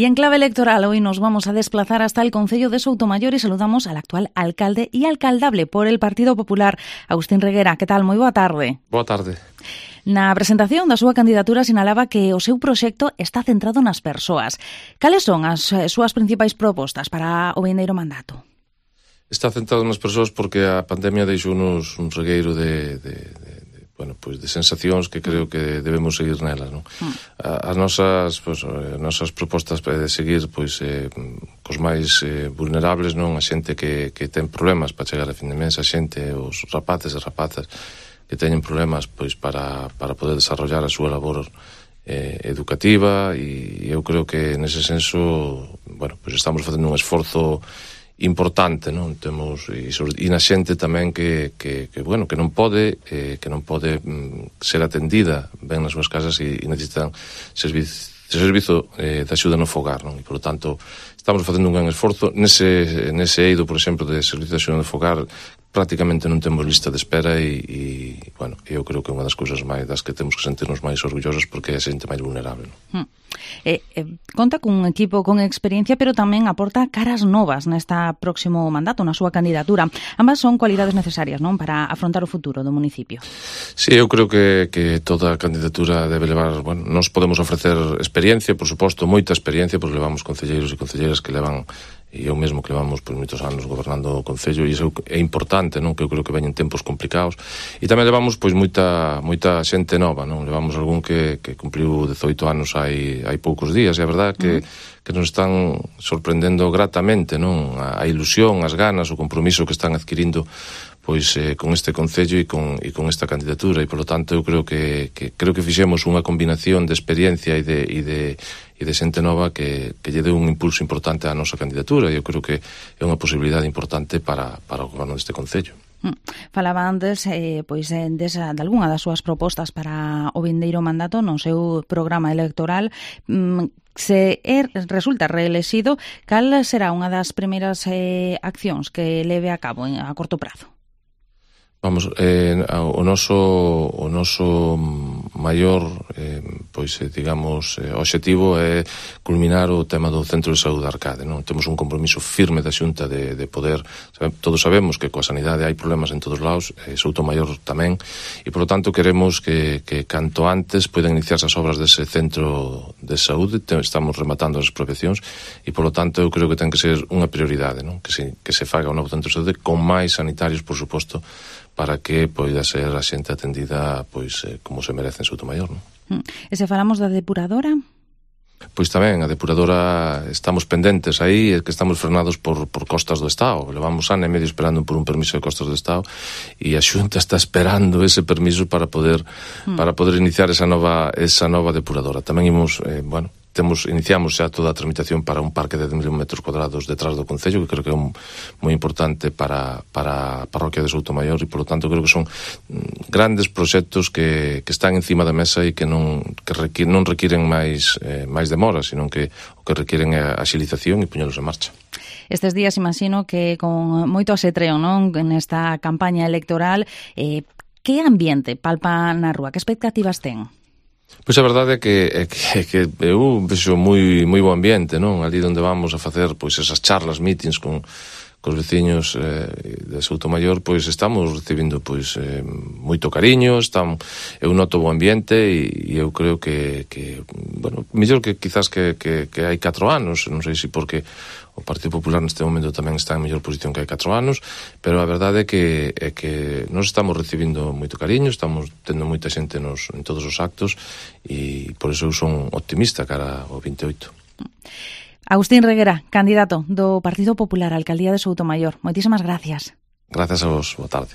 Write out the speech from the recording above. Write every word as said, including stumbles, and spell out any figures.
Y en clave electoral hoy nos vamos a desplazar hasta el concello de Soutomaior y saludamos al actual alcalde y alcaldable por el Partido Popular, Agustín Reguera. Que tal? Moi boa tarde. Boa tarde. Na presentación da súa candidatura sinalaba que o seu proxecto está centrado nas persoas. Cales son as súas principais propostas para o vindeiro mandato? Está centrado nas persoas porque a pandemia deixou-nos un regueiro de, de, de, de, bueno, pues de sensacións que creo que debemos seguir nelas, non? Mm. As nosas, pues, as nosas propostas de seguir pois, eh, cos máis eh, vulnerables, non? A xente que, que ten problemas para chegar a fin de mes, a xente, os rapaces e rapazas que teñen problemas pois para, para poder desarrollar a súa labor eh, educativa, e eu creo que nese senso, bueno, pois estamos facendo un esforzo importante, non? Temos e, sobre, e na xente tamén que, que, que bueno, que non pode eh, que non pode mm, ser atendida ben nas súas casas e, e necesitan servizo servizo eh, de axuda no fogar, non? E, por lo tanto, estamos facendo un gran esforzo nese, nese eido, por exemplo, de servizo de axuda no fogar. Prácticamente non temos lista de espera e, e bueno, eu creo que é unha das cousas máis das que temos que sentirnos máis orgullosos porque é a xente máis vulnerable, non? Hmm. Eh, eh, conta cun equipo con experiencia, pero tamén aporta caras novas nesta próximo mandato, na súa candidatura. Ambas son cualidades necesarias, non, para afrontar o futuro do municipio. Sí, eu creo que, que toda candidatura debe levar, bueno, nos podemos ofrecer experiencia, por suposto, moita experiencia, porque levamos concelleiros e concelleiras que levan, e eu mesmo que levamos por moitos anos gobernando o concello, e iso é importante, non? Que eu creo que veñen tempos complicados, e tamén levamos pois moita moita xente nova, non? Levamos algún que, que cumpliu dezoito anos hai, hai poucos días, e a verdade que, uh-huh. que nos están sorprendendo gratamente, non? A, a ilusión, as ganas, o compromiso que están adquirindo pois eh, con este concello e con, e con esta candidatura, e polo tanto eu creo que, que creo que fixemos unha combinación de experiencia e de, e de, e de xente nova que, que lle deu un impulso importante á nosa candidatura, e eu creo que é unha posibilidade importante para, para o goberno deste concello. Mm. Falaba antes eh, pois, eh, desa, de algunha das súas propostas para o vindeiro mandato no seu programa electoral. Mm, se er, resulta reelexido, cal será unha das primeiras eh, accións que leve a cabo en, a corto prazo? Vamos, eh, o noso o noso maior eh, pois, eh, digamos, eh, obxectivo é culminar o tema do Centro de Saúde Arcade, non? Temos un compromiso firme da Xunta de, de poder, sabe, todos sabemos que coa sanidade hai problemas en todos lados, eh, Soutomaior tamén, e polo tanto queremos que, que canto antes poidan iniciarse as obras dese Centro de Saúde. Estamos rematando as expropiacións e polo tanto eu creo que ten que ser unha prioridade, non? Que se, que se faga o novo Centro de Saúde con máis sanitarios, por suposto, para que poida ser a xente atendida pois eh, como se merece en Soutomaior, non? E se falamos da depuradora? Pois tamén, a depuradora estamos pendentes aí, é que estamos frenados por, por costas do Estado. Levamos ano e medio esperando por un permiso de costas do Estado e a Xunta está esperando ese permiso para poder mm. para poder iniciar esa nova esa nova depuradora. Tamén imos, eh, bueno, temos iniciamos xa toda a tramitación para un parque de dez mil metros cuadrados detrás do concello, que creo que é un, moi importante para, para a parroquia de Soutomaior, e polo tanto creo que son grandes proxectos que, que están encima da mesa e que non que requir, non requiren máis eh, máis demora, sino que o que requiren é a axilización e puñelos en marcha. Estes días imagino que con moito asetreo, non, nesta campaña electoral, eh, que ambiente palpa na rúa? Que expectativas ten? Pois a verdade é que, é que, que eu vexo moi, moi bo ambiente, non? Ali onde vamos a facer pois esas charlas, meetings con cos veciños eh, de Soutomaior, pois estamos recibindo pois eh, moito cariño, están, eu noto bo ambiente e, e eu creo que, que bueno, mellor que quizás que, que, que hai catro anos, non sei se porque o Partido Popular neste momento tamén está en mellor posición que hai catro anos, pero a verdade é que, é que nos estamos recibindo moito cariño, estamos tendo moita xente nos, en todos os actos, e por iso eu son optimista cara ao vinte e oito. Agustín Reguera, candidato do Partido Popular á Alcaldía de Soutomaior. Moitísimas gracias. Gracias a vos, boa tarde.